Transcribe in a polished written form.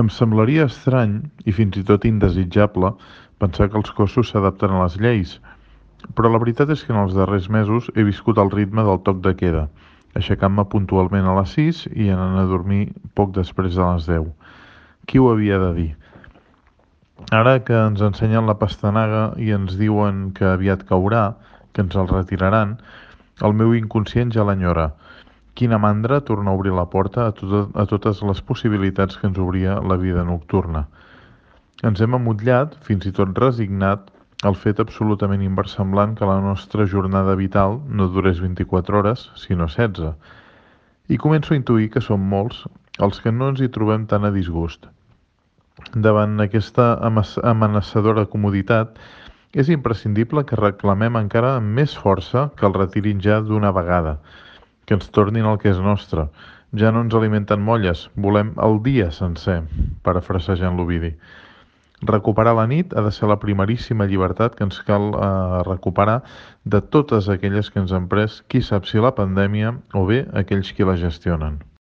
Em semblaria estrany, i fins i tot indesitjable, pensar que els cossos s'adapten a les lleis, però la veritat és que en els darrers mesos he viscut al ritme del toc de queda, aixecant-me puntualment a les 6 i anant a dormir poc després de les 10. Qui ho havia de dir? Ara que ens ensenyen la pastanaga i ens diuen que aviat caurà, que ens el retiraran, el meu inconscient ja l'enyora. Quina mandra tornar a obrir la porta a totes les possibilitats que ens obria la vida nocturna. Ens hem amotllat, fins i tot resignat, al fet absolutament inversemblant que la nostra jornada vital no durés 24 hores, sinó 16. I començo a intuir que som molts els que no ens hi trobem tan a disgust. Davant aquesta amenaçadora comoditat, és imprescindible que reclamem encara amb més força que el retirin ja d'una vegada, que ens tornin el que és nostre. Ja no ens alimenten molles, volem el dia sencer, parafrasejant l'Ovidi. Recuperar la nit ha de ser la primeríssima llibertat que ens cal recuperar de totes aquelles que ens han pres qui sap si la pandèmia o bé aquells qui la gestionen.